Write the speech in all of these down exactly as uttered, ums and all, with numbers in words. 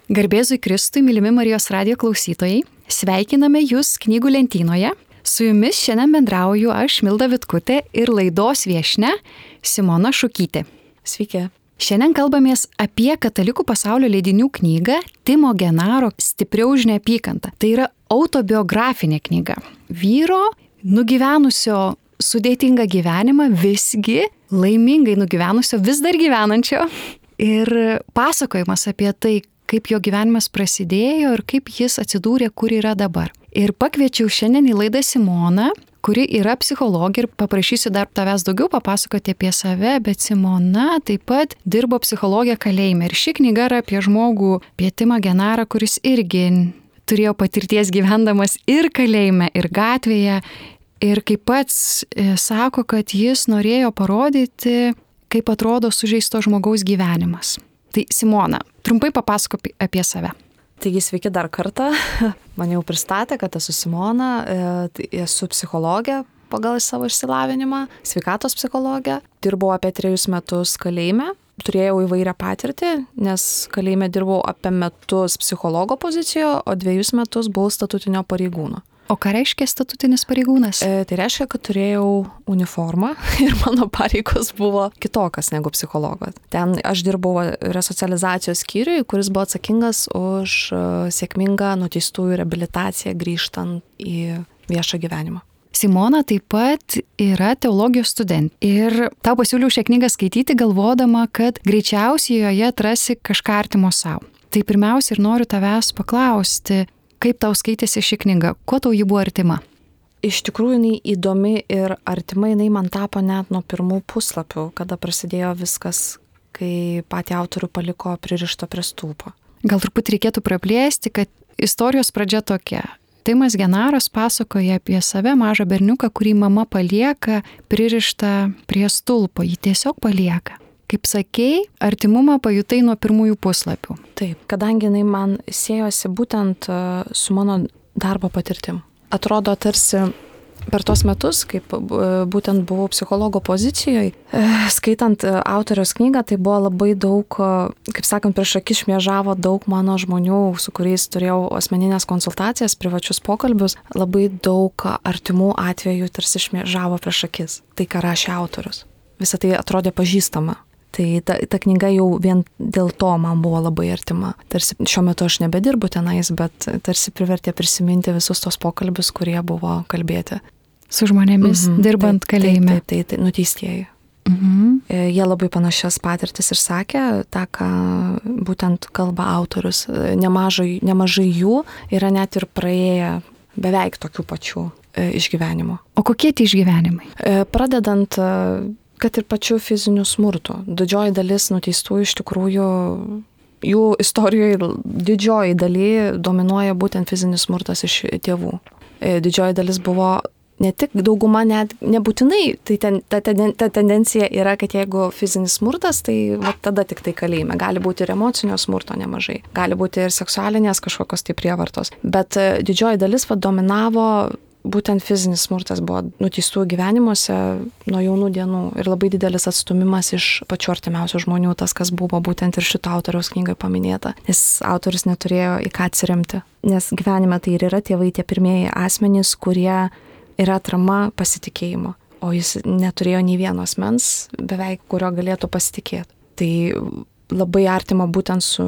Garbėzui Kristui, mylimi Marijos radijo klausytojai, sveikiname Jūs knygų lentynoje. Su Jumis šiandien bendrauju aš, Milda Vitkutė, ir laidos viešnia Simona Šukytė. Sveiki. Šiandien kalbamės apie katalikų pasaulio leidinių knygą Timo Genaro Stipriau už neapykantą. Tai yra autobiografinė knyga. Vyro, nugyvenusio sudėtingą gyvenimą, visgi laimingai nugyvenusio, vis dar gyvenančio. Ir pasakojimas apie tai, kaip jo gyvenimas prasidėjo ir kaip jis atsidūrė, kur yra dabar. Ir pakviečiau šiandien į laidą Simoną, kuri yra psichologė, ir paprašysiu dar tavęs daugiau papasakoti apie save, bet Simona taip pat dirbo psichologė kalėjime. Ir ši knyga yra apie žmogų, apie Timą Genarą, kuris irgi turėjo patirties gyvendamas ir kalėjime, ir gatvėje. Ir kaip pats sako, kad jis norėjo parodyti, kaip atrodo sužeisto žmogaus gyvenimas. Tai Simona, trumpai papasakok apie save. Taigi sveiki dar kartą. Man jau pristatė, kad esu Simona, esu psichologė pagal savo išsilavinimą, sveikatos psichologė. Dirbau apie trejus metus kalėjime. Turėjau įvairią patirtį, nes kalėjime dirbau apie metus psichologo pozicijoje, o dviejus metus buvau statutinio pareigūno. O ką reiškia statutinis pareigūnas? E, tai reiškia, kad turėjau uniformą ir mano pareigos buvo kitokios negu psichologo. Ten aš dirbau resocializacijos skyriui, kuris buvo atsakingas už sėkmingą nuteistųjų reabilitaciją grįžtant į viešą gyvenimą. Simona taip pat yra teologijos studentė. Ir tau pasiūliau šią knygą skaityti, galvodama, kad greičiausiai joje atrasi kažką artimo savo. Tai pirmiausia ir noriu tavęs paklausti, kaip tau skaitėsi ši knyga? Kuo tau ji buvo artima? Iš tikrųjų, jinai įdomi ir artima, jinai man tapo net nuo pirmų puslapių, kada prasidėjo viskas, kai patį autorių paliko pririšto prie stulpo. Gal truputį reikėtų praplėsti, kad istorijos pradžia tokia. Timas Genaras pasakoja apie save, mažą berniuką, kurį mama palieka pririštą prie stulpo. Jį tiesiog palieka. Kaip sakei, artimumą pajutai nuo pirmųjų puslapių. Taip, kadangi jinai man siejosi būtent su mano darbo patirtim. Atrodo, tarsi per tos metus, kaip būtent buvau psichologo pozicijoje, skaitant autoriaus knygą, tai buvo labai daug, kaip sakant, prieš akis šmėžavo daug mano žmonių, su kuriais turėjau asmeninės konsultacijas, privačius pokalbius, labai daug artimų atvejų tarsi šmėžavo prieš akis. Tai, ką rašė autorius. Visą tai atrodė pažįstama. Tai ta, ta knyga jau vien dėl to man buvo labai artima. Tarsi šiuo metu aš nebedirbu tenais, bet tarsi privertė prisiminti visus tos pokalbius, kurie buvo kalbėti. Su žmonėmis, mm-hmm, dirbant taip, kalėjime. Taip, taip, taip, nuteistieji. Mm-hmm. Jie labai panašias patirtis ir sakė, tą, ką būtent kalba autorius. Nemažai, nemažai jų yra net ir praėję beveik tokių pačių išgyvenimų. O kokie tie išgyvenimai? Pradedant kad ir pačių fizinių smurtų. Didžioji dalis nuteistųjų iš tikrųjų, jų istorijoje didžioji daly dominuoja būtent fizinis smurtas iš tėvų. Didžioji dalis buvo ne tik dauguma, net nebūtinai, tai ten, ta, ten, ta tendencija yra, kad jeigu fizinis smurtas, tai va, tada tik tai kalėjime. Gali būti ir emocinio smurto nemažai, gali būti ir seksualinės kažkokios tai prievartos. Bet didžioji dalis va, dominavo būtent fizinis smurtas buvo nuteistųjų gyvenimuose nuo jaunų dienų ir labai didelis atstumimas iš pačių artimiausių žmonių, tas, kas buvo būtent ir šito autoriaus knygoje paminėta, nes autorius neturėjo į ką atsiremti. Nes gyvenime tai ir yra tėvai tie pirmieji asmenys, kurie yra atrama pasitikėjimo, o jis neturėjo nei vieno asmens, beveik kurio galėtų pasitikėti. Tai labai artima būtent su,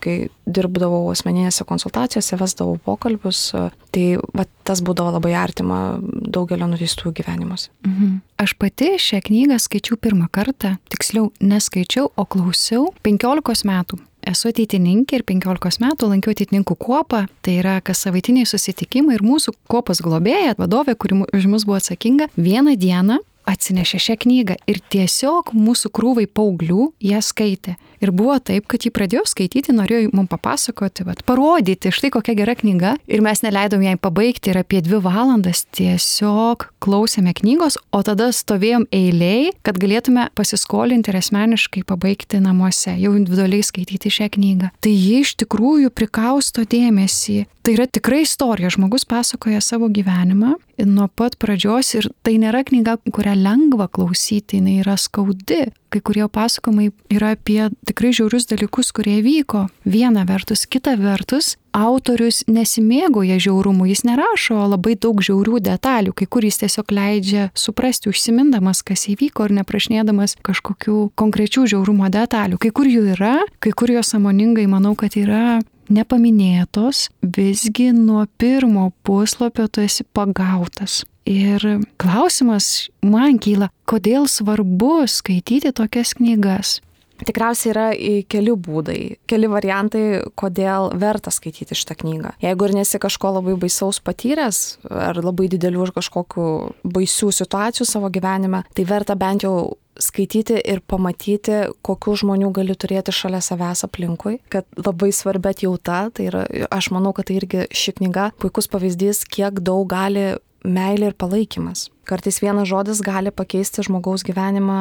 kai dirbdavau asmeninėse konsultacijose, vesdavau pokalbius, tai va, tas būdavo labai artima daugelio nuteistųjų gyvenimuose. Mhm. Aš pati šią knygą skaičiau pirmą kartą, tiksliau neskaičiau, o klausiau penkiolikos metų. Esu ateitininkė ir penkiolikos metų lankiau ateitininkų kuopą, tai yra kas savaitiniai susitikimai ir mūsų kuopos globėja, vadovė, kuri už mus buvo atsakinga, vieną dieną atsinešė šią knygą ir tiesiog mūsų krūvai paauglių ją skaitė. Ir buvo taip, kad jį pradėjo skaityti, norėjo mums papasakoti, bet parodyti, štai kokia gera knyga. Ir mes neleidom jai pabaigti ir apie dvi valandas tiesiog klausėme knygos, o tada stovėjom eiliai, kad galėtume pasiskolinti ir asmeniškai pabaigti namuose, jau individualiai skaityti šią knygą. Tai ji iš tikrųjų prikausto dėmesį. Tai yra tikrai istorija, žmogus pasakoja savo gyvenimą nuo pat pradžios ir tai nėra knyga, kurią nelengva klausyti, jinai yra skaudi. Kai kurie pasakojimai yra apie tikrai žiaurius dalykus, kurie vyko. Viena vertus, kita vertus, autorius nesimėgoja žiaurumu, jis nerašo labai daug žiaurių detalių, kai kur jis tiesiog leidžia suprasti, užsimindamas, kas įvyko ir neprašnėdamas kažkokių konkrečių žiaurumo detalių. Kai kur jų yra, kai kur jos sąmoningai, manau, kad yra nepaminėtos, visgi nuo pirmo puslapio tu esi pagautas. Ir klausimas man kyla, kodėl svarbu skaityti tokias knygas? Tikriausiai yra keli būdai, keli variantai, kodėl verta skaityti šitą knygą. Jeigu ir nesi kažko labai baisaus patyręs, ar labai didelių ir kažkokių baisių situacijų savo gyvenime, tai verta bent jau skaityti ir pamatyti, kokių žmonių gali turėti šalia savęs aplinkui, kad labai svarbi atjauta, tai yra, aš manau, kad tai irgi ši knyga puikus pavyzdys, kiek daug gali meilė ir palaikymas. Kartais vienas žodis gali pakeisti žmogaus gyvenimą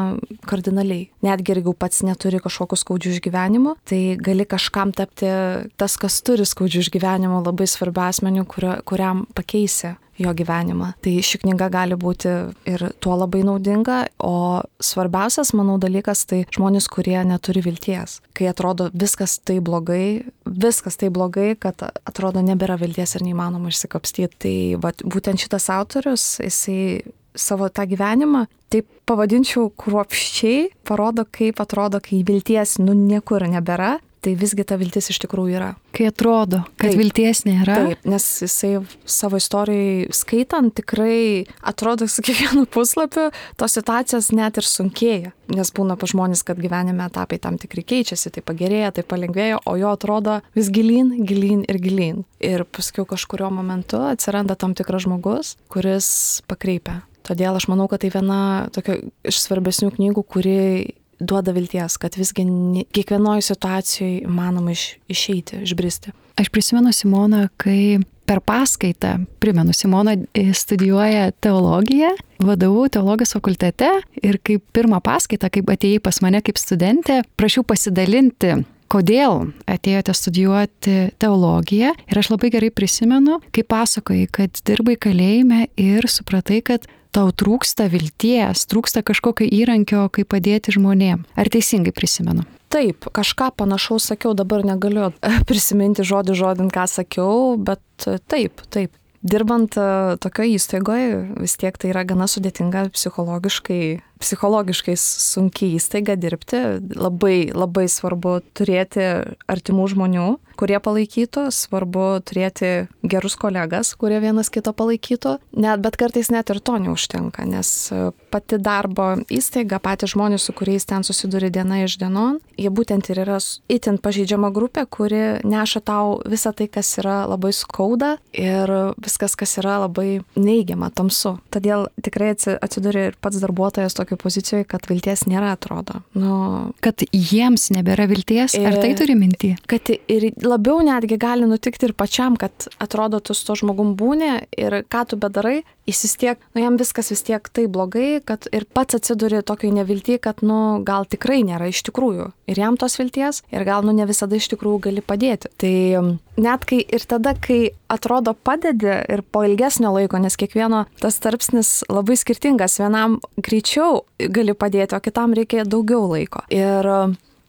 kardinaliai. Netgi jeigu pats neturi kažkokių skaudžių išgyvenimų, tai gali kažkam tapti tas, kas turi skaudžių išgyvenimų, labai svarbiu asmeniu, kurio, kuriam pakeisi jo gyvenimą. Tai ši knyga gali būti ir tuo labai naudinga, o svarbiausias, manau, dalykas tai žmonės, kurie neturi vilties. Kai atrodo viskas tai blogai, viskas tai blogai, kad atrodo nebėra vilties ir neįmanoma išsikapstyti. Tai va, būtent šitas autorius, jisai savo tą gyvenimą, taip pavadinčiau kruopščiai, parodo, kaip atrodo, kai vilties nu niekur nebėra, tai visgi ta viltis iš tikrųjų yra. Kai atrodo, kad taip, vilties nėra. Taip, nes jisai savo istorijai skaitant tikrai atrodo su kiekvienu puslapiu, tos situacijos net ir sunkėja. Nes būna pa žmonės, kad gyvenime etapai tam tikri keičiasi, tai pagerėja, tai palengvėja, o jo atrodo vis gilyn, gilyn ir gilyn. Ir paskui kažkurio momentu atsiranda tam tikras žmogus, kuris pakreipia. Todėl aš manau, kad tai viena tokia iš svarbesnių knygų, kuri duoda vilties, kad visgi kiekvienoje situacijoje įmanoma iš, išeiti, išbristi. Aš prisimenu Simoną, kai per paskaitą, primenu, Simona studijuoja teologiją, vadovau teologijos fakultete ir kaip pirmą paskaitą, kaip atėjai pas mane kaip studentė, prašiau pasidalinti, kodėl atėjote studijuoti teologiją. Ir aš labai gerai prisimenu, kai pasakojai, kad dirbai kalėjime ir supratai, kad tau trūksta vilties, trūksta kažkokio įrankio, kaip padėti žmonėm. Ar teisingai prisimenu? Taip, kažką panašaus sakiau, dabar negaliu prisiminti žodį žodin, ką sakiau, bet taip, taip. Dirbant tokioje įstaigoje, vis tiek tai yra gana sudėtinga psichologiškai, psichologiškai sunkiai įstaiga dirbti. Labai, labai svarbu turėti artimų žmonių, kurie palaikytų, svarbu turėti gerus kolegas, kurie vienas kito palaikytų, net, bet kartais net ir to neužtenka, nes pati darbo įstaiga, patys žmonės, su kuriais ten susiduri diena iš dienon, jie būtent ir yra itin pažeidžiama grupė, kuri neša tau visą tai, kas yra labai skauda ir viskas, kas yra labai neigiama, tamsu. Todėl tikrai atsiduri ir pats darbuotojas tokio pozicijoje, kad vilties nėra, atrodo. Nu, kad jiems nebėra vilties, ar tai turi minty? Kad ir labiau netgi gali nutikti ir pačiam, kad atrodo, tu su to žmogum būni ir ką tu bedarai, jis vis tiek, nu jam viskas vis tiek tai blogai, kad ir pats atsiduri tokiai nevilti, kad nu gal tikrai nėra iš tikrųjų. Ir jam tos vilties, ir gal nu ne visada iš tikrųjų gali padėti. Tai net kai ir tada, kai atrodo padedi ir po ilgesnio laiko, nes kiekvieno tas tarpsnis labai skirtingas, vienam greičiau gali padėti, o kitam reikia daugiau laiko. Ir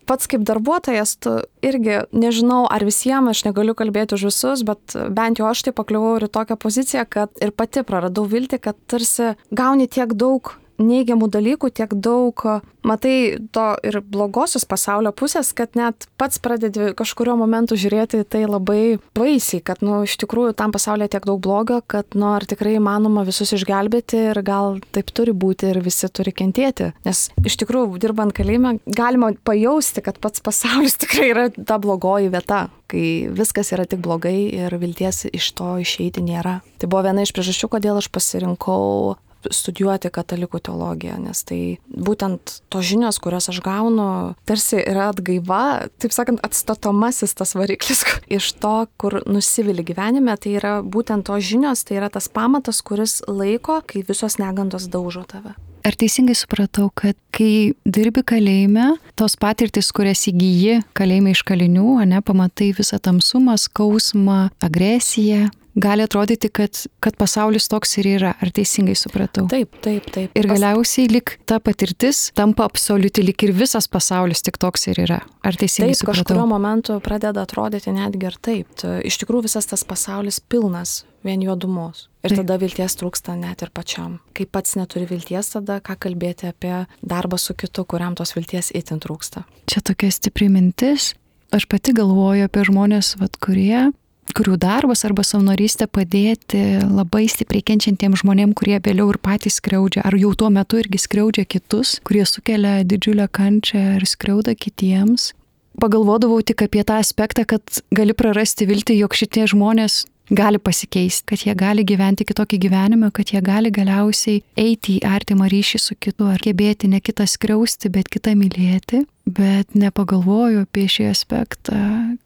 pats kaip darbuotojas, tu irgi nežinau, ar visiems, aš negaliu kalbėti už visus, bet bent jau aš tai pakliuvau ir į tokią poziciją, kad ir pati praradau viltį, kad tarsi gauni tiek daug neigiamų dalykų, tiek daug, matai to ir blogosios pasaulio pusės, kad net pats pradedi kažkurio momentu žiūrėti tai labai baisiai, kad nu iš tikrųjų tam pasaulyje tiek daug blogio, kad nu ar tikrai įmanoma visus išgelbėti ir gal taip turi būti ir visi turi kentėti. Nes iš tikrųjų dirbant kalėjime galima pajausti, kad pats pasaulis tikrai yra ta blogoji vieta, kai viskas yra tik blogai ir vilties iš to išeiti nėra. Tai buvo viena iš priežasčių, kodėl aš pasirinkau studijuoti katalikų teologiją, nes tai būtent tos žinios, kurias aš gaunu, tarsi yra atgaiva, taip sakant, atstatomasis tas variklis iš to, kur nusivili gyvenime, tai yra būtent tos žinios, tai yra tas pamatas, kuris laiko, kai visos negandos daužo tave. Ar teisingai supratau, kad kai dirbi kalėjime, tos patirtis, kurias įgyji kalėjime iš kalinių, ane, pamatai visą tamsumą, skausmą, agresiją, gali atrodyti, kad, kad pasaulis toks ir yra. Ar teisingai supratau? Taip, taip, taip. Ir galiausiai lik ta patirtis tampa absoliuti, lik ir visas pasaulis tik toks ir yra. Ar teisingai taip, supratau? Taip, kažkurio momentu pradeda atrodyti netgi ir taip. Iš tikrųjų visas tas pasaulis pilnas vien juodumos. Ir tada vilties trūksta net ir pačiam. Kai pats neturi vilties, tada ką kalbėti apie darbą su kitu, kuriam tos vilties itin trūksta. Čia tokia stipri mintis. Aš pati galvoju apie žmonės, vat, kurie, kurių darbas arba savanorystė padėti labai stipriai kenčiantiems žmonėms, kurie vėliau ir patys skriaudžia, ar jau tuo metu irgi skriaudžia kitus, kurie sukelia didžiulę kančią ir skriauda kitiems. Pagalvodavau tik apie tą aspektą, kad gali prarasti viltį, jog šitie žmonės gali pasikeisti, kad jie gali gyventi kitokį gyvenimą, kad jie gali galiausiai eiti į artimą ryšį su kitu, ar gebėti ne kitą skriausti, bet kitą mylėti. Bet nepagalvoju apie šį aspektą,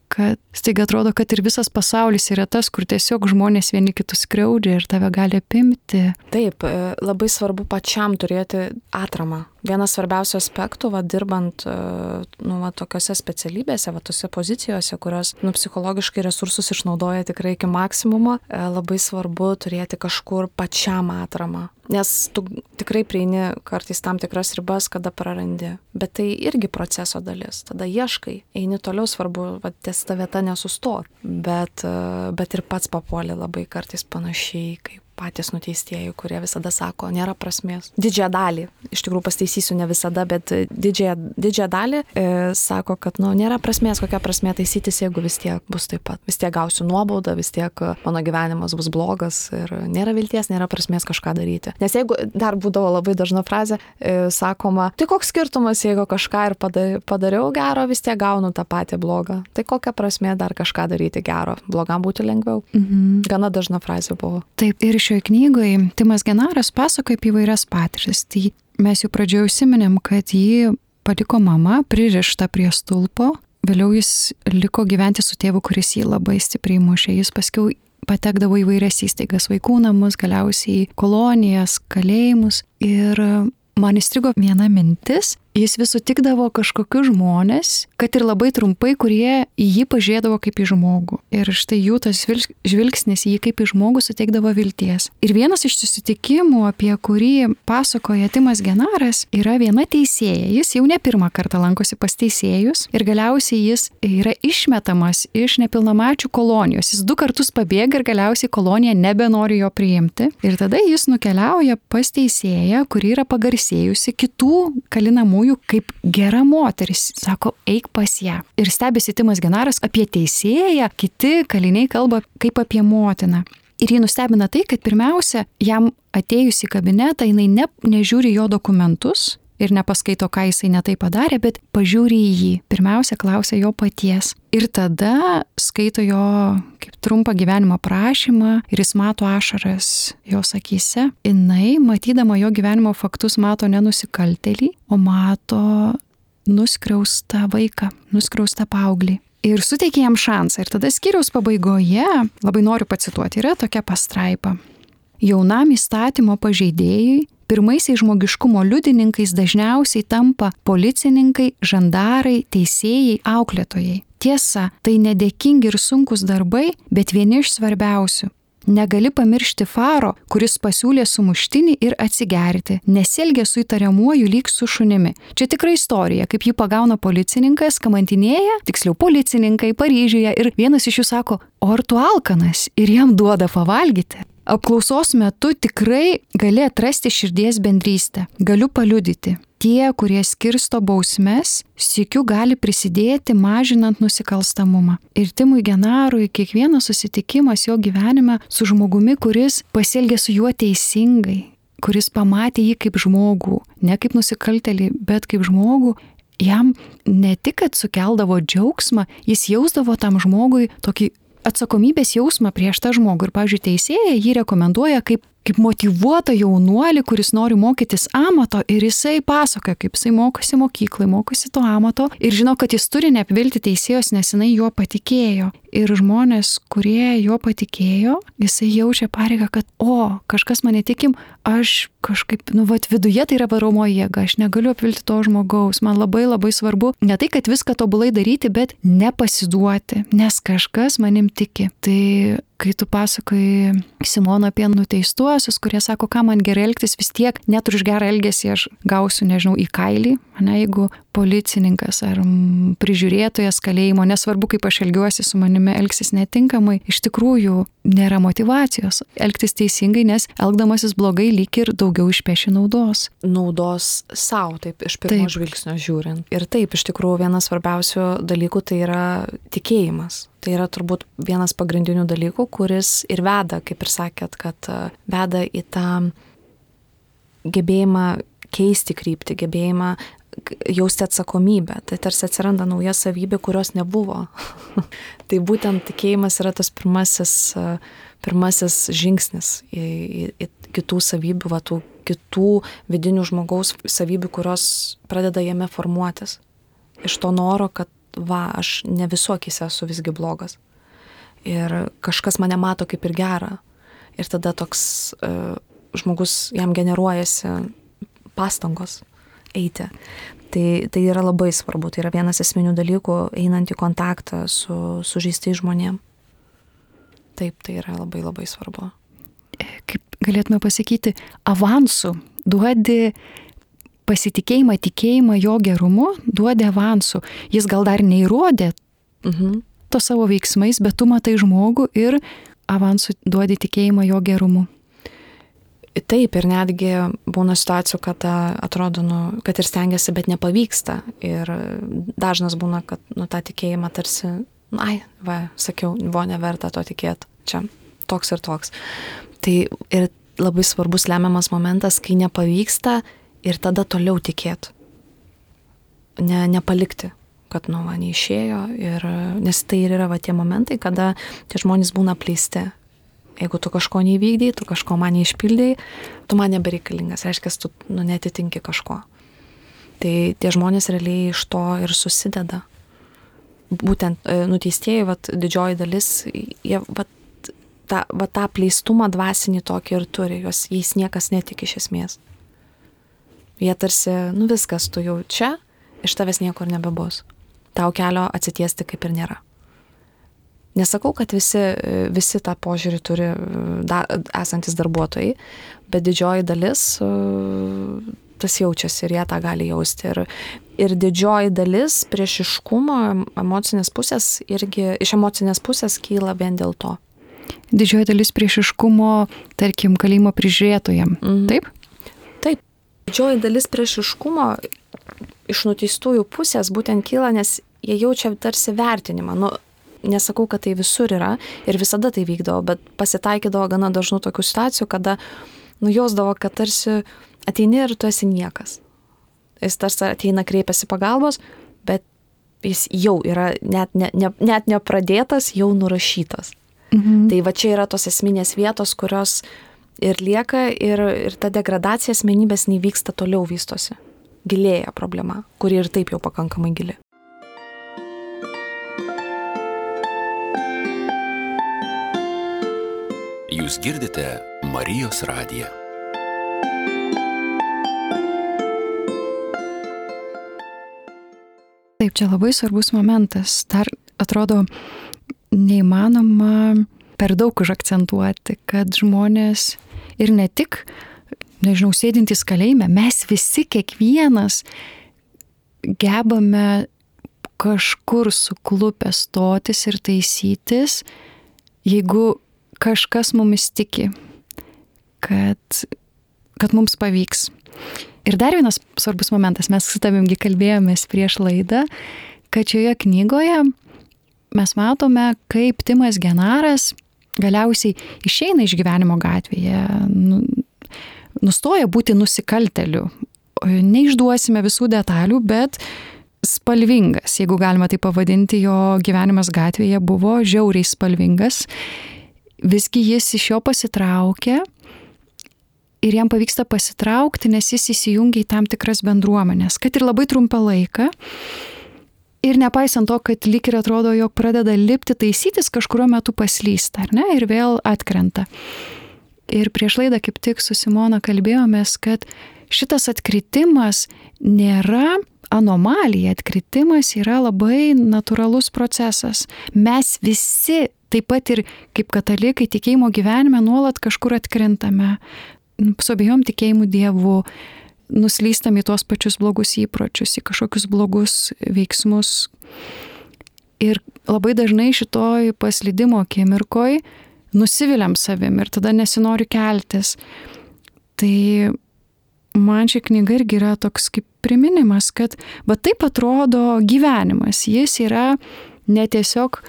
kad staiga atrodo, kad ir visas pasaulis yra tas, kur tiesiog žmonės vieni kitus skriaudžia ir tave gali apimti. Taip, labai svarbu pačiam turėti atramą. Vienas svarbiausių aspektų, va, dirbant nu, va, tokiose specialybėse, va, tose pozicijose, kurios nu, psichologiškai resursus išnaudoja tikrai iki maksimumo, labai svarbu turėti kažkur pačiam atramą. Nes tu tikrai prieini kartais tam tikras ribas, kada prarandi. Bet tai irgi proceso dalis. Tada ieškai, eini toliau, svarbu, va, ties ta vieta nesustot. Bet, bet ir pats papuoli labai kartais panašiai, kaip patys nuteistieji, kurie visada sako, nėra prasmės. Didžiąją dalį, iš tikrųjų pasteisysiu ne visada, bet didžiąją, didžiąją dalį e, sako, kad nu, nėra prasmės, kokia prasmė taisytis, jeigu vis tiek bus taip pat. Vis tiek gausiu nuobaudą, vis tiek mano gyvenimas bus blogas ir nėra vilties, nėra prasmės kažką daryti. Nes jeigu dar būdavo labai dažna frazė, e, sakoma, tai koks skirtumas, jeigu kažką ir padariau gero, vis tiek gaunu tą patį blogą. Tai kokia prasmė dar kažką daryti gero? Blogam būti lengviau. Mhm. Gana dažna frazė buvo. Taip, ir šioje knygoje Timas Genaras pasakoja apie įvairias patirtis. Tai mes jau pradžioje užsiminėm, kad jį paliko mama, pririšta prie stulpo. Vėliau jis liko gyventi su tėvu, kuris jį labai stipriai mušė. Jis paskiau patekdavo į vairias įstaigas, vaikų namus, galiausiai kolonijas, kalėjimus. Ir man įstrigo viena mintis. Jis vis sutikdavo kažkokius žmonės, kad ir labai trumpai, kurie į jį pažiūrėdavo kaip į žmogų. Ir štai jų tas žvilgsnis į jį kaip į žmogų suteikdavo vilties. Ir vienas iš susitikimų, apie kurį pasakoja Timas Genaras, yra viena teisėja. Jis jau ne pirmą kartą lankosi pas teisėjus ir galiausiai jis yra išmetamas iš nepilnamečių kolonijos. Jis du kartus pabėga ir galiausiai kolonija nebenori jo priimti. Ir tada jis nukeliauja pas teisėją, kuri yra pagarsėjusi kitų kalinamų kaip gera moteris, sako, eik pas ją. Ir stebisi Timas Genaras apie teisėją, kiti kaliniai kalba kaip apie motiną. Ir jį nustebina tai, kad pirmiausia, jam atėjus į kabinetą, jinai ne, nežiūri jo dokumentus ir nepaskaito, ką jisai netai padarė, bet pažiūri į jį. Pirmiausia, klausia jo paties. Ir tada skaito jo kaip trumpą gyvenimo prašymą ir jis mato ašaras jos akyse. Jinai, matydama jo gyvenimo faktus, mato ne nusikaltėlį, o mato nuskriaustą vaiką, nuskriaustą paauglį. Ir suteikia jam šansą. Ir tada skyriaus pabaigoje, labai noriu pacituoti, yra tokia pastraipa. Jaunam įstatymo pažeidėjui pirmaisiais žmogiškumo liudininkais dažniausiai tampa policininkai, žandarai, teisėjai, auklėtojai. Tiesa, tai nedėkingi ir sunkus darbai, bet vieni iš svarbiausių. Negali pamiršti faro, kuris pasiūlė sumuštinį ir atsigerti, nesielgia su įtariamuoju lyg su šunimi. Čia tikra istorija, kaip jį pagauna policininkas, kamantinėja, tiksliau policininkai Paryžiuje ir vienas iš jų sako, o ar tu alkanas ir jam duoda pavalgyti. Apklausos metu tikrai gali atrasti širdies bendrystę. Galiu paliudyti. Tie, kurie skirsto bausmes, sykiu gali prisidėti mažinant nusikalstamumą. Ir Timui Genarui kiekvienas susitikimas jo gyvenime su žmogumi, kuris pasielgė su juo teisingai, kuris pamatė jį kaip žmogų, ne kaip nusikaltėlį, bet kaip žmogų, jam ne tik, kad sukeldavo džiaugsmą, jis jausdavo tam žmogui tokį atsakomybės jausmą prieš tą žmogų. Ir, pavyzdžiui, teisėja jį rekomenduoja kaip, kaip motyvuotą jaunuolį, kuris nori mokytis amato ir jisai pasakoja, kaip jisai mokosi mokyklai, mokosi to amato ir žino, kad jis turi neapvilti teisėjos, nes jinai juo patikėjo. ir žmonės, kurie jo patikėjo, jisai jaučia pareigą, kad o, kažkas mane tikim, aš kažkaip, nu, vat viduje tai yra varomoji jėga, aš negaliu apvilti to žmogaus, man labai labai svarbu ne tai, kad viską tobulai daryti, bet nepasiduoti, nes kažkas manim tiki. Tai kai tu pasakai Simono apie nuteistuosius, kurie sako, ką man gerai elgtis, vis tiek net už gerą elgesį aš gausiu, nežinau, į kailį, ne, jeigu policininkas ar prižiūrėtojas kalėjimo, nesvarbu, kaip aš elgiuosi su manimi, elgsis netinkamai, iš tikrųjų nėra motyvacijos elgtis teisingai, nes elgdamasis blogai lyg ir daugiau išpeši naudos. Naudos savo, taip, iš pirmo taip. Žvilgsnio žiūrint. Ir taip, iš tikrųjų, vienas svarbiausių dalykų tai yra tikėjimas. Tai yra turbūt vienas pagrindinių dalykų, kuris ir veda, kaip ir sakėt, kad veda į tą gebėjimą keisti kryptį, gebėjimą jausti atsakomybę. Tai tarsi atsiranda nauja savybė, kurios nebuvo. Tai būtent tikėjimas yra tas pirmasis, pirmasis žingsnis į, į, į kitų savybių, va, tų kitų vidinių žmogaus savybių, kurios pradeda jame formuotis. Iš to noro, kad va, aš ne visokiais esu visgi blogas. Ir kažkas mane mato kaip ir gerą. Ir tada toks uh, žmogus, jam generuojasi pastangos eiti. Tai, tai yra labai svarbu. Tai yra vienas esminių dalykų, einant į kontaktą su sužeistais žmonėm. Taip, tai yra labai labai svarbu. Kaip galėtume pasakyti, avansų duodi pasitikėjimą, tikėjimą jo gerumu, duodi avansų. Jis gal dar neįrodė mhm. to savo veiksmais, bet tu matai žmogų ir avansų duodi tikėjimą jo gerumu. Taip, ir netgi būna situacijų, kad atrodo, nu, kad ir stengiasi, bet nepavyksta. Ir dažnas būna, kad nu, tą tikėjimą tarsi, nu, ai, va, sakiau, buvo neverta to tikėti. Čia toks ir toks. Tai ir labai svarbus lemiamas momentas, kai nepavyksta ir tada toliau tikėti. Ne, nepalikti, kad, nu, va, neišėjo. Ir, nes tai ir yra va, tie momentai, kada tie žmonės būna apleisti. Jeigu tu kažko neįvykdai, tu kažko man neišpildai, tu man nebereikalingas, reiškia, tu nu, netitinki kažko. Tai tie žmonės realiai iš to ir susideda. Būtent nuteistieji, vat, didžioji dalis, jie vat, tą, vat, tą pleistumą dvasinį tokį ir turi, jos, jais niekas netiki iš esmės. Jie tarsi, nu viskas, tu jau čia, iš tavęs niekur nebebus. Tau kelio atsitiesti kaip ir nėra. Nesakau, kad visi, visi tą požiūrį turi da, esantis darbuotojai, bet didžioji dalis tas jaučiasi ir jie tą gali jausti. Ir, ir didžioji dalis priešiškumo emocinės pusės irgi iš emocinės pusės kyla vien dėl to. Didžioji dalis priešiškumo, tarkim, kalėjimo prižiūrėtojam, mm. taip? Taip. Didžioji dalis priešiškumo iš nuteistųjų pusės būtent kyla, nes jie jaučia tarsi vertinimą. Nu, nesakau, kad tai visur yra ir visada tai vykdavo, bet pasitaikydavo gana dažnų tokių situacijų, kada nujausdavo, kad tarsi ateini ir tu esi niekas. Jis tarsi ateina, kreipiasi pagalbos, bet jis jau yra net, ne, ne, net nepradėtas, jau nurašytas. Mhm. Tai va čia yra tos esminės vietos, kurios ir lieka ir, ir ta degradacija asmenybės nevyksta, toliau vystosi. Gilėja problema, kuri ir taip jau pakankamai gili. Jūs girdite Marijos radiją. Taip, čia labai svarbus momentas. Dar atrodo neįmanoma per daug užakcentuoti, kad žmonės ir ne tik, nežinau, sėdintys kalėjime, mes visi, kiekvienas gebame kažkur suklupę stotis ir taisytis, jeigu kažkas mumis tiki, kad, kad mums pavyks. Ir dar vienas svarbus momentas, mes su tavimgi kalbėjomės prieš laidą, kad šioje knygoje mes matome, kaip Timas Genaras galiausiai išeina iš gyvenimo gatvėje, nustoja būti nusikalteliu. Neišduosime visų detalių, bet spalvingas, jeigu galima tai pavadinti, jo gyvenimas gatvėje buvo žiauriai spalvingas. Visgi jis iš jo pasitraukia ir jam pavyksta pasitraukti, nes jis įsijungia į tam tikras bendruomenės, kad ir labai trumpą laiką. Ir nepaisant to, kad lyg ir atrodo, jog pradeda lipti, taisytis, kažkurio metu paslysta, ar ne, ir vėl atkrenta. Ir prieš laidą kaip tik su Simona kalbėjomės, kad šitas atkritimas nėra anomalija, atkritimas yra labai natūralus procesas. Mes visi, taip pat ir kaip katalikai tikėjimo gyvenime, nuolat kažkur atkrentame, su abejom tikėjimu Dievu, nuslystam į tuos pačius blogus įpročius, į kažkokius blogus veiksmus. Ir labai dažnai šitoj paslydimo akimirkoj nusiviliam savim ir tada nesinori keltis. Tai man ši knyga irgi yra toks kaip priminimas, kad va taip atrodo gyvenimas. Jis yra ne tiesiog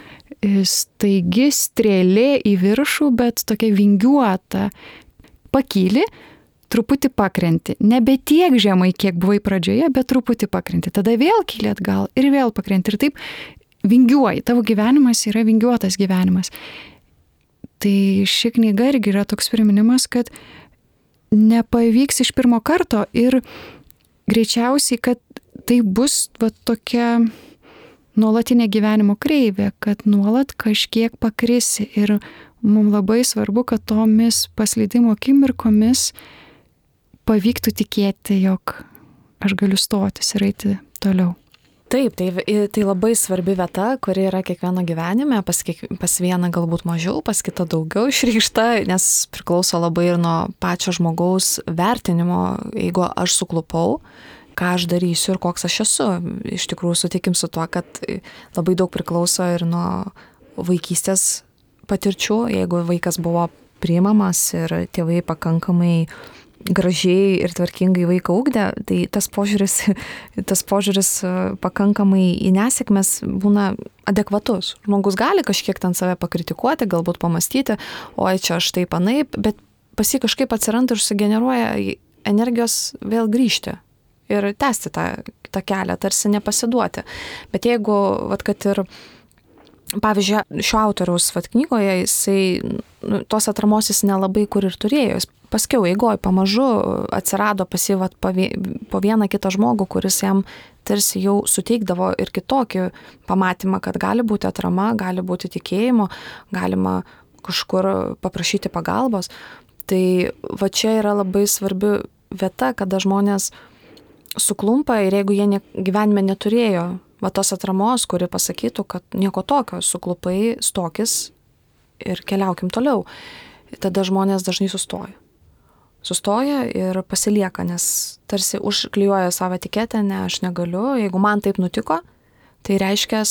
staigi strėlė į viršų, bet tokia vingiuota. Pakyli, truputį pakrenti. Nebe tiek žemai, kiek buvai pradžioje, bet truputį pakrenti. Tada vėl kyli atgal ir vėl pakrenti. Ir taip vingiuoji. Tavo gyvenimas yra vingiuotas gyvenimas. Tai ši knyga irgi yra toks priminimas, kad nepavyks iš pirmo karto ir greičiausiai, kad tai bus va tokia nuolatinė gyvenimo kreivė, kad nuolat kažkiek pakrisi. Ir mums labai svarbu, kad tomis paslydimo akimirkomis pavyktų tikėti, jog aš galiu stotis ir eiti toliau. Taip, tai, tai labai svarbi vieta, kuri yra kiekvieno gyvenime, pas, kiek, pas vieną galbūt mažiau, pas kitą daugiau išreikšta, nes priklauso labai ir nuo pačio žmogaus vertinimo, jeigu aš suklupau, ką aš darysiu ir koks aš esu. Iš tikrųjų sutikim su tuo, kad labai daug priklauso ir nuo vaikystės patirčių, jeigu vaikas buvo priimamas ir tėvai pakankamai gražiai ir tvarkingai vaiką ugdė, tai tas požiūris, tas požiūris pakankamai į nesėkmes būna adekvatus. Žmogus gali kažkiek ten save pakritikuoti, galbūt pamastyti, oi čia aš taip anaip, bet pas jį kažkaip atsiranda ir sugeneruoja energijos vėl grįžti ir tęsti tą, tą kelią, tarsi nepasiduoti. Bet jeigu, vat, kad ir pavyzdžiui, šio autoriaus vat, knygoje, jisai nu, tos atramos jis nelabai kur ir turėjo. Jis paskiau eigoj pamažu atsirado pas jį vat, po vieną kitą žmogų, kuris jam tarsi jau suteikdavo ir kitokį pamatymą, kad gali būti atrama, gali būti tikėjimo, galima kažkur paprašyti pagalbos. Tai va čia yra labai svarbi vieta, kada žmonės suklumpa ir jeigu jie ne, gyvenime neturėjo va tos atramos, kuri pasakytų, kad nieko tokio, suklupai, stokis ir keliaukim toliau. Tada žmonės dažnai sustoja. Sustoja ir pasilieka, nes tarsi užklijuoja savo etiketę, ne, aš negaliu, jeigu man taip nutiko, tai reiškia,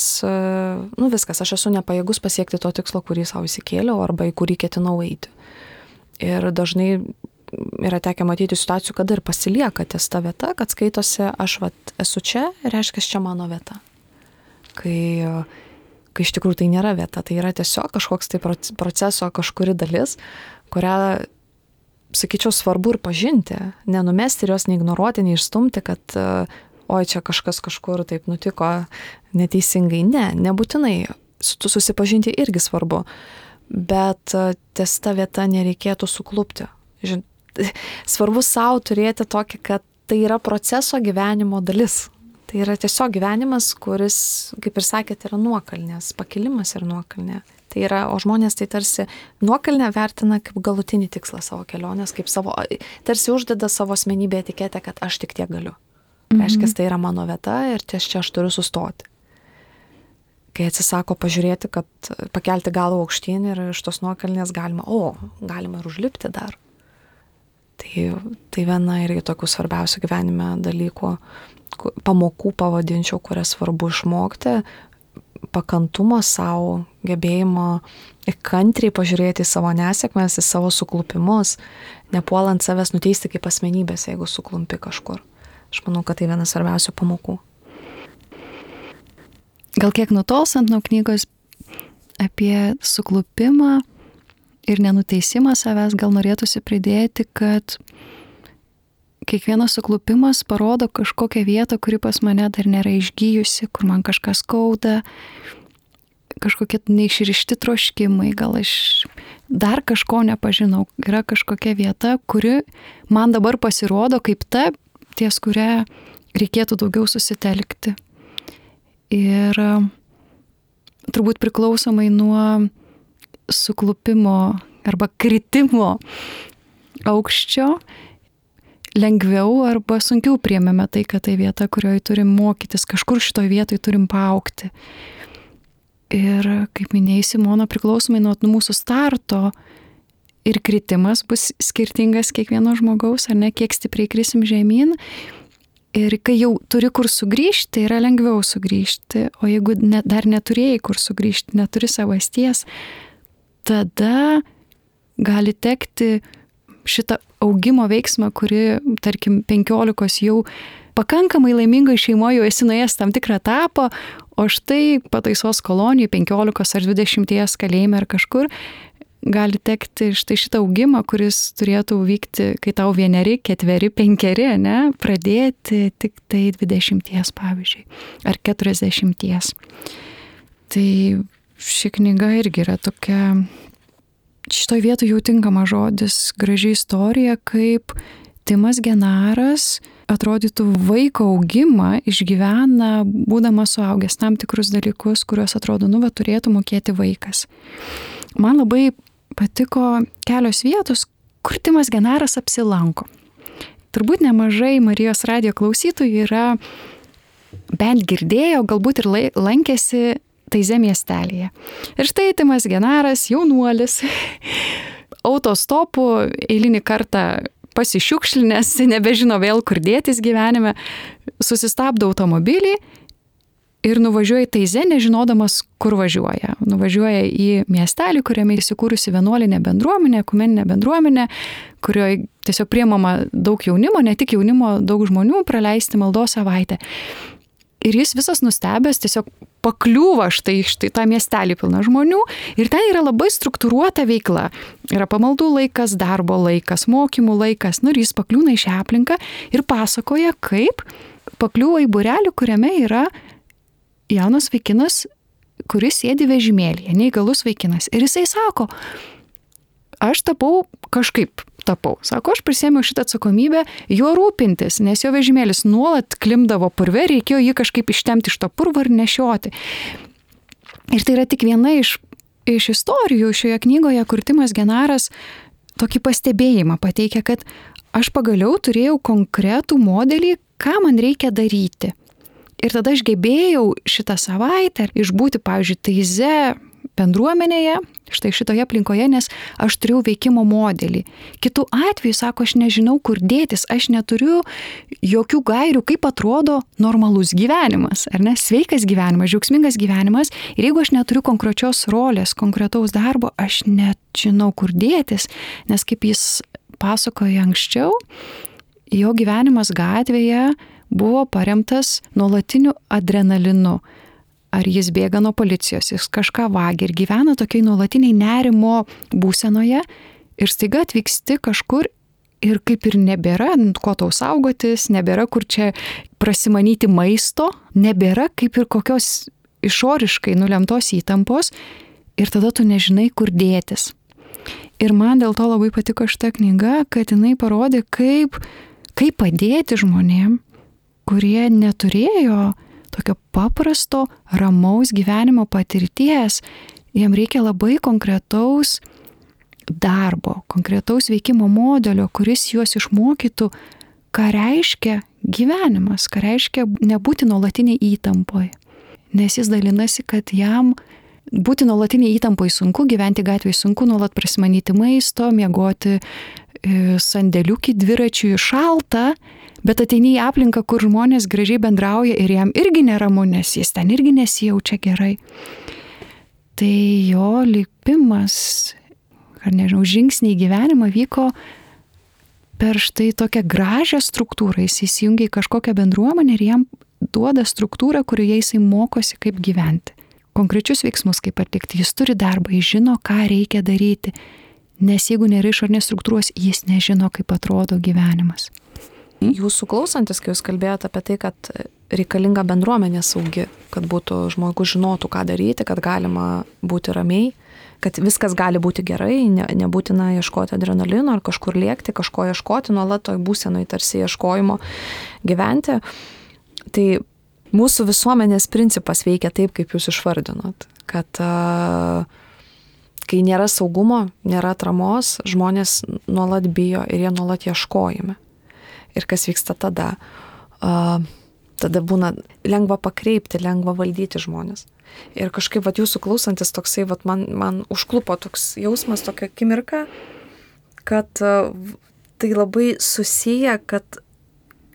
nu viskas, aš esu nepajėgus pasiekti to tikslo, kurį savo įsikėliau arba į kurį ketinau eiti. Ir dažnai yra tekę matyti situacijų, kada ir pasilieka ties ta vieta, kad skaitosi, aš vat esu čia, reiškia, čia mano vieta. Kai, kai iš tikrųjų tai nėra vieta, tai yra tiesiog kažkoks tai proceso kažkuri dalis, kurią, sakyčiau, svarbu ir pažinti, nenumesti ir jos neignoruoti, neišstumti, kad oi, čia kažkas kažkur taip nutiko neteisingai. Ne, nebūtinai. Su susipažinti irgi svarbu, bet ties ta vieta nereikėtų suklupti. Žin, svarbu savo turėti tokį, kad tai yra proceso gyvenimo dalis. Tai yra tiesiog gyvenimas, kuris, kaip ir sakėte, yra nuokalnės, pakilimas ir nuokalnė. Tai yra, o žmonės tai tarsi nuokalnę vertina kaip galutinį tikslą savo kelionės, kaip savo, tarsi uždeda savo asmenybę etiketę, kad aš tik tiek galiu. Mhm. Reiškia, tai yra mano vieta ir ties čia aš turiu sustoti. Kai atsisako pažiūrėti, kad pakelti galvą aukštyn ir iš tos nuokalnės galima, o, galima ir užlipti dar. Tai, tai viena irgi tokių svarbiausių gyvenime dalykų, pamokų pavadinčiau, kurias svarbu išmokti, pakantumo savo, gebėjimo kantriai pažiūrėti į savo nesėkmes, į savo suklupimus, nepuolant savęs nuteisti kaip asmenybės, jeigu suklumpi kažkur. Aš manau, kad tai vienas svarbiausių pamokų. Gal kiek nutolstant nuo knygos apie suklupimą ir nenuteisimą savęs, gal norėtųsi pridėti, kad kiekvienas suklupimas parodo kažkokią vietą, kuri pas mane dar nėra išgyjusi, kur man kažkas skauda, kažkokie neišrišti troškimai, gal aš dar kažko nepažinau. Yra kažkokia vieta, kuri man dabar pasirodo kaip ta, ties kuria reikėtų daugiau susitelkti. ir turbūt priklausomai nuo suklupimo arba kritimo aukščio lengviau arba sunkiau priėmėme tai, kad tai vieta, kurioje turim mokytis, kažkur šitoj vietoj turim paaugti. Ir kaip minėjai, Simona, priklausomai nuo mūsų starto ir kritimas bus skirtingas kiekvieno žmogaus, ar ne, kiek stipriai krisim žemyn. Ir kai jau turi kur sugrįžti, yra lengviau sugrįžti, o jeigu ne, dar neturėjai kur sugrįžti, neturi savasties, tada gali tekti šitą augimo veiksmą, kuri, tarkim, penkiolikos jau pakankamai laimingai šeimoje jau esi nuėjęs tam tikrą etapą, o štai pataisos kolonijai penkiolikos ar dvidešimties kalėjime ar kažkur gali tekti štai šitą augimą, kuris turėtų vykti, kai tau vieneri, ketveri, penkeri, ne, pradėti tik tai dvidešimties, pavyzdžiui, ar keturiasdešimties. Tai ši knyga irgi yra tokia, šitoj vietoj jau tinkama žodis, graži istorija, kaip Timas Genaras atrodytų vaiko augimą išgyvena, būdamas suaugęs tam tikrus dalykus, kuriuos atrodo, nu, va, turėtų mokėti vaikas. Man labai patiko kelios vietos, kur Timas Genaras apsilanko. Turbūt nemažai Marijos radijo klausytojų yra bent girdėjo, galbūt ir lankėsi Taize miestelėje. Ir štai Timas Genaras, jaunuolis, autostopu eilinį kartą pasišiukšlinęs, nebežino vėl kur dėtis gyvenime, susistabdo automobilį ir nuvažiuoja į Taizę, nežinodamas, kur važiuoja. Nuvažiuoja į miestelį, kuriame įsikūrusi vienuolinė bendruomenė, ekumeninė bendruomenė, kurioje tiesiog priimama daug jaunimo, ne tik jaunimo, daug žmonių praleisti maldos savaitę. Ir jis visas nustebęs tiesiog pakliūva štai, štai tą miestelį pilną žmonių ir ten yra labai struktūruota veikla. Yra pamaldų laikas, darbo laikas, mokymų laikas. Nu ir jis pakliūna į šią aplinką ir pasakoja, kaip pakliūva į būrelį, kuriame yra jaunas vaikinas, kuris sėdi vežimėlyje, neįgalus vaikinas. Ir jisai sako, aš tapau kažkaip. Tapau. Sako, aš prisėmiau šitą atsakomybę juo rūpintis, nes jo vežimėlis nuolat klimdavo purve, reikėjo jį kažkaip ištemti iš to purvo ir nešioti. Ir tai yra tik viena iš, iš istorijų šioje knygoje, kur Timas Genaras tokį pastebėjimą pateikia, kad aš pagaliau turėjau konkretų modelį, ką man reikia daryti. Ir tada aš gebėjau šitą savaitę išbūti, pavyzdžiui, Taize bendruomenėje, štai šitoje aplinkoje, nes aš turėjau veikimo modelį. Kitu atveju, sako, aš nežinau, kur dėtis, aš neturiu jokių gairių, kaip atrodo normalus gyvenimas, ar ne, sveikas gyvenimas, džiaugsmingas gyvenimas. Ir jeigu aš neturiu konkrečios rolės, konkretaus darbo, aš nežinau, kur dėtis, nes kaip jis pasakoja anksčiau, jo gyvenimas gatvėje buvo paremtas nuolatiniu adrenalinu. Ar jis bėga nuo policijos, jis kažką vagia ir gyvena tokiai nuolatiniai nerimo būsenoje ir staiga atvyksti kažkur ir kaip ir nebėra, ko tau saugotis, nebėra kur čia prasimanyti maisto, nebėra kaip ir kokios išoriškai nulemtos įtampos ir tada tu nežinai, kur dėtis. Ir man dėl to labai patiko šita knyga, kad jinai parodė, kaip, kaip padėti žmonėm, kurie neturėjo tokio paprasto, ramaus gyvenimo patirties, jiem reikia labai konkretaus darbo, konkretaus veikimo modelio, kuris juos išmokytų, ką reiškia gyvenimas, ką reiškia nebūti nuolatiniai įtampoj. Nes jis dalinasi, kad jam būti nuolatiniai įtampoj sunku, gyventi gatvėje sunku, nuolat prasimanyti maisto, miegoti sandėliukį dviračiui šalta, bet ateini į aplinką, kur žmonės gražiai bendrauja ir jam irgi neramu, nes jis ten irgi nesijaučia gerai. Tai jo lipimas, ar nežinau, žingsniai gyvenimą vyko per štai tokią gražią struktūrą. Jis įsijungia į kažkokią bendruomenę ir jam duoda struktūrą, kurioje jisai mokosi, kaip gyventi. Konkrečius veiksmus, kaip atlikti. Jis turi darbą, jis žino, ką reikia daryti. Nes jeigu nėra išorinės struktūros, jis nežino, kaip atrodo gyvenimas. Jūsų klausantis, kai jūs kalbėjote apie tai, kad reikalinga bendruomenė saugi, kad būtų žmogus žinotų, ką daryti, kad galima būti ramiai, kad viskas gali būti gerai, ne, nebūtina ieškoti adrenalino ar kažkur lėkti, kažko ieškoti, nuolat toj būsenoj tarsi ieškojimo gyventi. Tai mūsų visuomenės principas veikia taip, kaip jūs išvardinot, kad uh, kai nėra saugumo, nėra atramos, žmonės nuolat bijo ir jie nuolat ieškojame. Ir kas vyksta tada? Uh, tada būna lengva pakreipti, lengva valdyti žmonės. Ir kažkaip, vat, jūsų klausantis toksai, vat, man, man užklupo toks jausmas, tokia akimirka, kad uh, tai labai susiję, kad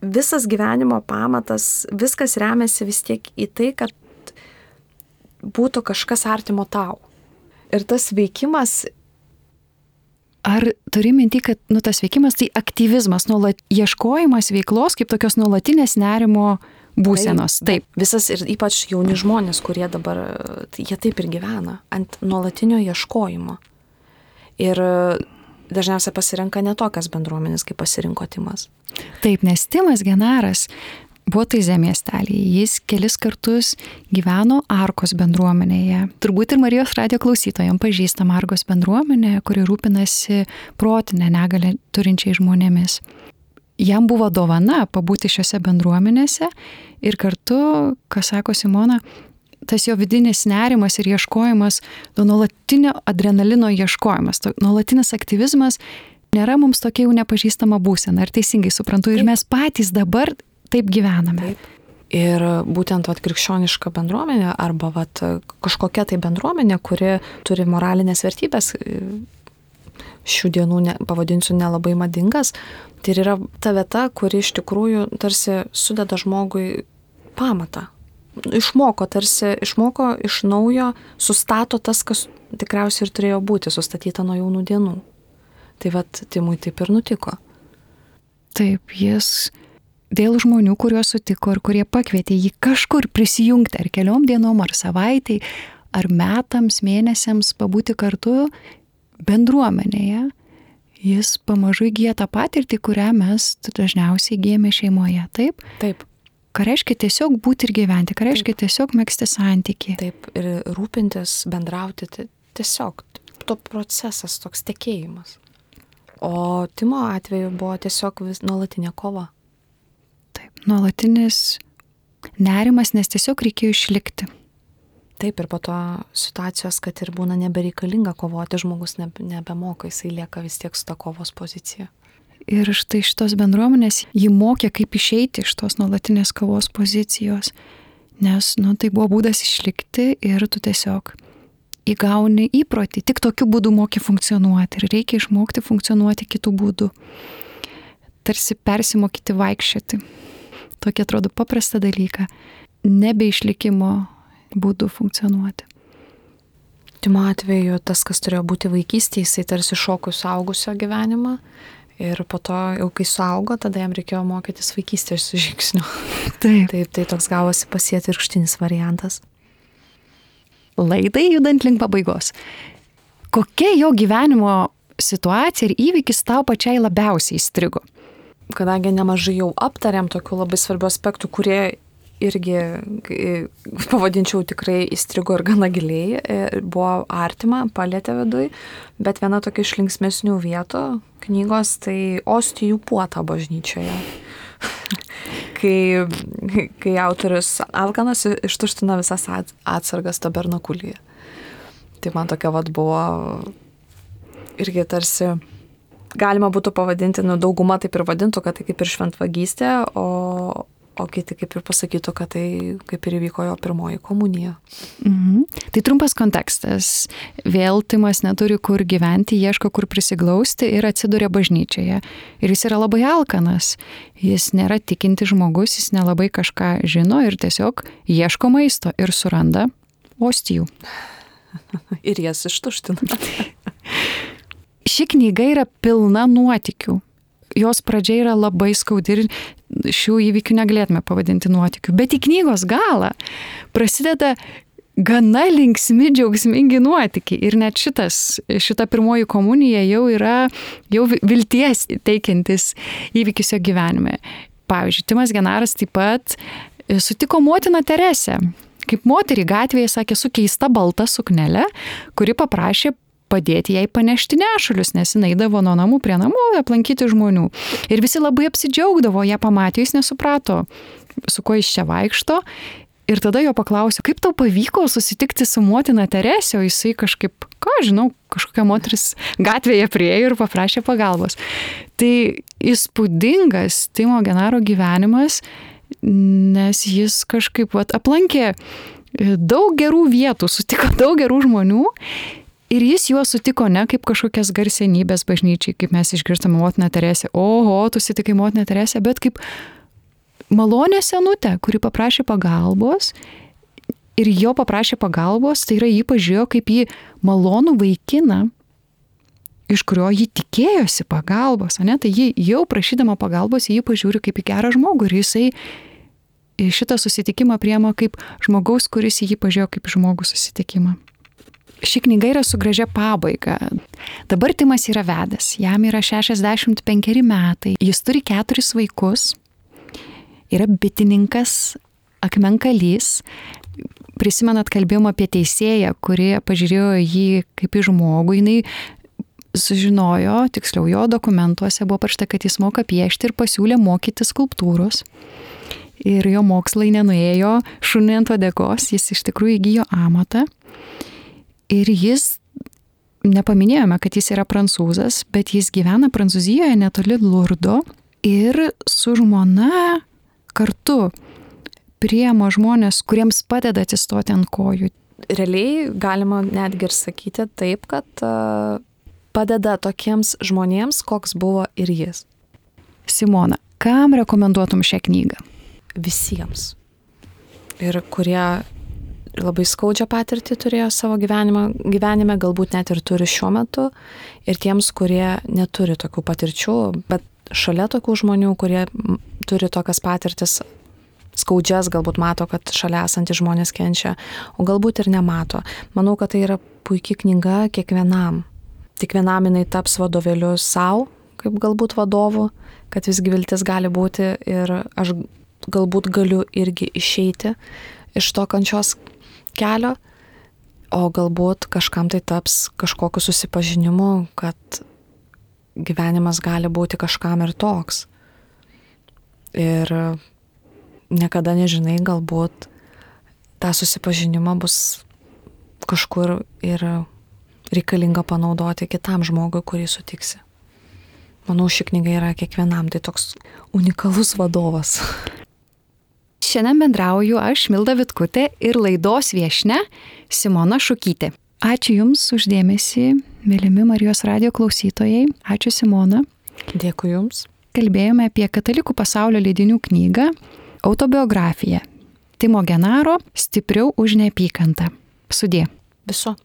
visas gyvenimo pamatas, viskas remiasi vis tiek į tai, kad būtų kažkas artimo tau. Ir tas veikimas... Ar turi minti, kad nu, tas veikimas tai aktyvizmas, nuolat ieškojimas veiklos kaip tokios nuolatinės nerimo būsenos? Taip. Taip. Visas ir ypač jauni žmonės, kurie dabar, jie taip ir gyvena, ant nuolatinio ieškojimo. Ir dažniausiai pasirenka ne tokias bendruomenės, kaip pasirinko Timas. Taip, nes Timas Genaras buvo Taizė miestelėje. Jis kelis kartus gyveno Arkos bendruomenėje. Turbūt ir Marijos radijo klausytojams pažįstama Arkos bendruomenė, kuri rūpinasi protinę negalią turinčiai žmonėmis. Jam buvo dovana pabūti šiose bendruomenėse ir kartu, ką sako Simona, tas jo vidinis nerimas ir ieškojimas, to nuolatinio adrenalino ieškojimas, to nuolatinis aktyvizmas nėra mums tokia jau nepažįstama būsena. Ar teisingai suprantu? Ir mes patys dabar taip gyvename. Taip. Ir būtent vat, krikščioniška bendruomenė arba vat, kažkokia tai bendruomenė, kuri turi moralinės vertybės, šių dienų ne, pavadinsiu nelabai madingas, tai yra ta vieta, kuri iš tikrųjų tarsi sudeda žmogui pamatą. Išmoko, tarsi išmoko iš naujo, sustato tas, kas tikriausiai ir turėjo būti, sustatyta nuo jaunų dienų. Tai vat Timui taip ir nutiko. Taip, jis dėl žmonių, kuriuos sutiko ir kurie pakvietė jį kažkur prisijungti ar keliom dienom, ar savaitai, ar metams, mėnesiams pabūti kartu bendruomenėje, jis pamažu įgyja tą patirtį, kurią mes dažniausiai įgyjame šeimoje. Taip? Taip. Ką reiškia tiesiog būti ir gyventi, ką reiškia Taip. Tiesiog megzti santykį. Taip, ir rūpintis, bendrauti, tiesiog to procesas, toks tekėjimas. O Timo atveju buvo tiesiog vis nuolatinė kova. Taip, nuolatinis nerimas, nes tiesiog reikėjo išlikti. Taip, ir po to situacijos, kad ir būna nebereikalinga kovoti, žmogus nebe, nebemoka, jisai lieka vis tiek su ta kovos pozicija. Ir štai šitos bendruomenės jį mokė, kaip išeiti iš tos nuolatinės kovos pozicijos, nes nu, tai buvo būdas išlikti ir tu tiesiog įgauni įprotį, tik tokiu būdu moki funkcionuoti ir reikia išmokti funkcionuoti kitų būdų. Tarsi persimokyti vaikščioti. Tokia atrodo paprasta dalyka. Nebe išlikimo būdų funkcionuoti. Timo atveju tas, kas turėjo būti vaikystėje, jisai tarsi šoko suaugusio gyvenimą ir po to jau kai suaugo, tada jam reikėjo mokytis vaikystės žingsnių. Taip. Taip, tai toks gavosi pasiatvirkštinis variantas. Laidai judant link pabaigos. Kokia jo gyvenimo situacija ir įvykis tau pačiai labiausiai įstrigo? Kadangi nemažai jau aptariam tokių labai svarbių aspektų, kurie irgi, pavadinčiau, tikrai įstrigo ir gana giliai, buvo artima, palėtė viduj, bet viena tokia iš linksmesnių vietų knygos, tai Ostijų puota bažnyčioje. kai, kai autorius alkanas ištuština visas atsargas tabernakulyje. Tai man tokia vat buvo irgi tarsi galima būtų pavadinti, nu dauguma taip ir vadintų, kad tai kaip ir šventvagystė, o, o kiti kaip ir pasakytų, kad tai kaip ir įvyko jo pirmoji komunija. Mhm. Tai trumpas kontekstas. Vėl Timas neturi kur gyventi, ieško kur prisiglausti ir atsiduria bažnyčioje. Ir jis yra labai alkanas. Jis nėra tikinti žmogus, jis nelabai kažką žino ir tiesiog ieško maisto ir suranda ostijų. Ir jas ištuština. Ši knyga yra pilna nuotykių. Jos pradžia yra labai skaudi ir šių įvykių negalėtume pavadinti nuotykių. Bet į knygos galą prasideda gana linksmi, džiaugsmingi nuotykiai. Ir net šitas, šita pirmoji komunija jau yra jau vilties teikiantis įvykis jo gyvenime. Pavyzdžiui, Timas Genaras taip pat sutiko motiną Teresę. Kaip moterį gatvėje sakė su keista balta suknelė, kuri paprašė padėti jai panešti nešulius, nes jinai eidavo nuo namų prie namų aplankyti žmonių. Ir visi labai apsidžiaugdavo, ją pamatė, jis nesuprato, su kuo jis čia vaikšto. Ir tada jo paklausė, kaip tau pavyko susitikti su motina Teresė, o jisai kažkaip, ką žinau, kažkokia moteris gatvėje priejo ir paprašė pagalbos. Tai įspūdingas Timo Genaro gyvenimas, nes jis kažkaip vat, aplankė daug gerų vietų, sutiko daug gerų žmonių ir jis juos sutiko ne kaip kažkokias garsenybės bažnyčiai, kaip mes išgirstame motiną Teresę, oho, tu sutikai motiną Teresę, bet kaip malonė senutė, kuri paprašė pagalbos ir jo paprašė pagalbos, tai yra jį pažiūrėjo kaip jį malonų vaikiną, iš kurio jį tikėjosi pagalbos, ne? Tai jį jau prašydama pagalbos, jį pažiūri kaip į gerą žmogų ir jisai šitą susitikimą priema kaip žmogaus, kuris jį pažiūrėjo kaip žmogų susitikimą. Ši knyga yra su gražia pabaiga. Dabar Timas yra vedęs, jam yra šešiasdešimt penkeri metai, jis turi keturis vaikus, yra bitininkas, akmenkalys. Prisimenat, kalbėjom apie teisėją, kuri pažiūrėjo jį kaip į žmogų. Jinai sužinojo, tiksliau jo dokumentuose buvo parašyta, kad jis moka piešti ir pasiūlė mokyti skulptūros. Ir jo mokslai nenuėjo šunį ant uodegos, jis iš tikrųjų įgijo amatą. Ir jis, nepaminėjome, kad jis yra prancūzas, bet jis gyvena Prancūzijoje netoli Lurdo ir su žmona kartu priema žmonės, kuriems padeda atsistoti ant kojų. Realiai galima netgi ir sakyti taip, kad uh, padeda tokiems žmonėms, koks buvo ir jis. Simona, kam rekomenduotum šią knygą? Visiems. Ir kurie labai skaudžią patirtį turėjo savo gyvenimą, gyvenime, galbūt net ir turi šiuo metu, ir tiems, kurie neturi tokių patirčių, bet šalia tokių žmonių, kurie turi tokias patirtis skaudžias, galbūt mato, kad šalia esantys žmonės kenčia, o galbūt ir nemato. Manau, kad tai yra puikia knyga kiekvienam. Kiekvienam jinai taps vadovėliu savo, kaip galbūt vadovu, kad visgi viltis gali būti ir aš galbūt galiu irgi išeiti iš to kančios kelio, o galbūt kažkam tai taps kažkokiu susipažinimu, kad gyvenimas gali būti kažkam ir toks. Ir niekada nežinai, galbūt tą susipažinimą bus kažkur ir reikalinga panaudoti kitam žmogui, kurį sutiksi. Manau, ši knyga yra kiekvienam, tai toks unikalus vadovas. Šiandien bendrauju aš, Milda Vitkutė, ir laidos viešnia Simona Šukytė. Ačiū Jums už dėmesį, mylimi Marijos radijo klausytojai. Ačiū Simona. Dėkui Jums. Kalbėjome apie katalikų pasaulio leidinių knygą Autobiografija. Timo Genaro Stipriau už neapykantą. Sudie. Viso.